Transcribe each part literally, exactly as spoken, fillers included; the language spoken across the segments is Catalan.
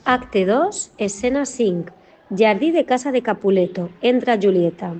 Acte dos, escena cinc. Jardí de casa de Capuleto. Entra Julieta.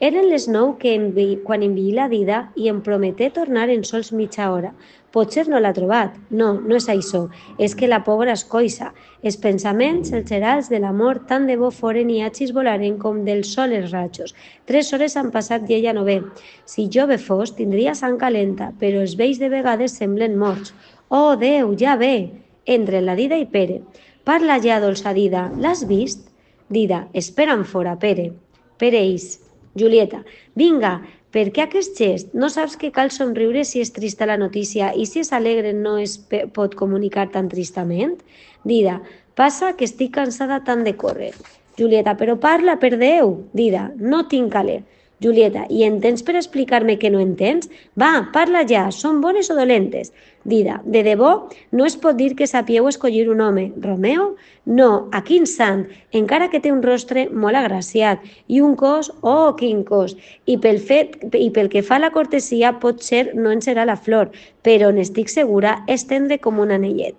Eren les nou que envi... quan enviï la Dida i em prometé tornar en sols mitja hora. Potser no l'ha trobat. No, no és això. És que la pobra és coixa. Els pensaments, els gerals de l'amor, tant de bo foren i hachis volaren com del sol els ratxos. Tres hores han passat i ella no ve. Si jove fos, tindria sang calenta, però els vells de vegades semblen morts. Oh, Déu, ja ve! Entre la Dida i Pere. Parla ja, dolça Dida. L'has vist? Dida, espera'n fora, Pere. Pere ix. Julieta, vinga, per què aquest gest? No saps que cal somriure si és trista la notícia i si és alegre no es pot comunicar tan tristament? Dida, passa que estic cansada tant de córrer. Julieta, però parla, per Déu. Dida, no tinc caler. Julieta, i entens per explicar-me que no entens? Va, parla ja, són bones o dolentes? Dida, de debò, no es pot dir que sapieu escollir un home. Romeo? No, a quin sant, encara que té un rostre molt agraciat i un cos, oh, quin cos, i pel, fet, i pel que fa a la cortesia potser no en serà la flor, però n'estic segura és tendre com un anellet.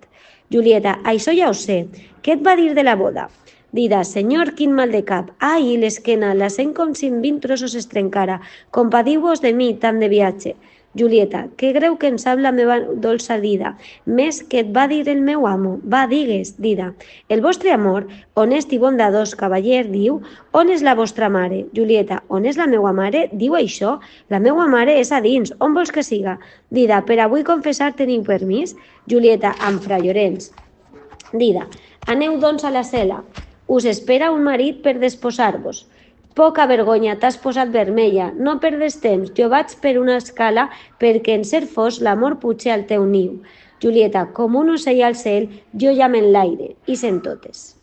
Julieta, això ja ho sé, què et va dir de la boda? Dida, senyor, quin mal de cap. Ai, l'esquena, la sent com si en vint trossos es trencara. Compadiu-vos de mi, tant de viatge. Julieta, què greu que en sap la meva dolça Dida, més que et va dir el meu amo. Va, digues, Dida. El vostre amor, honest i bondadós cavaller, diu, on és la vostra mare? Julieta, on és la meua mare? Diu això? La meua mare és a dins, on vols que siga? Dida, per avui confessar teniu permís? Julieta, amb fra Llorenç. Dida, aneu doncs a la cel·la. Us espera un marit per desposar-vos. Poca vergonya, t'has posat vermella. No perdes temps, jo vaig per una escala perquè en ser fos l'amor puja al teu niu. Julieta, com un ocell al cel, jo ja m'enlaire, i sent totes.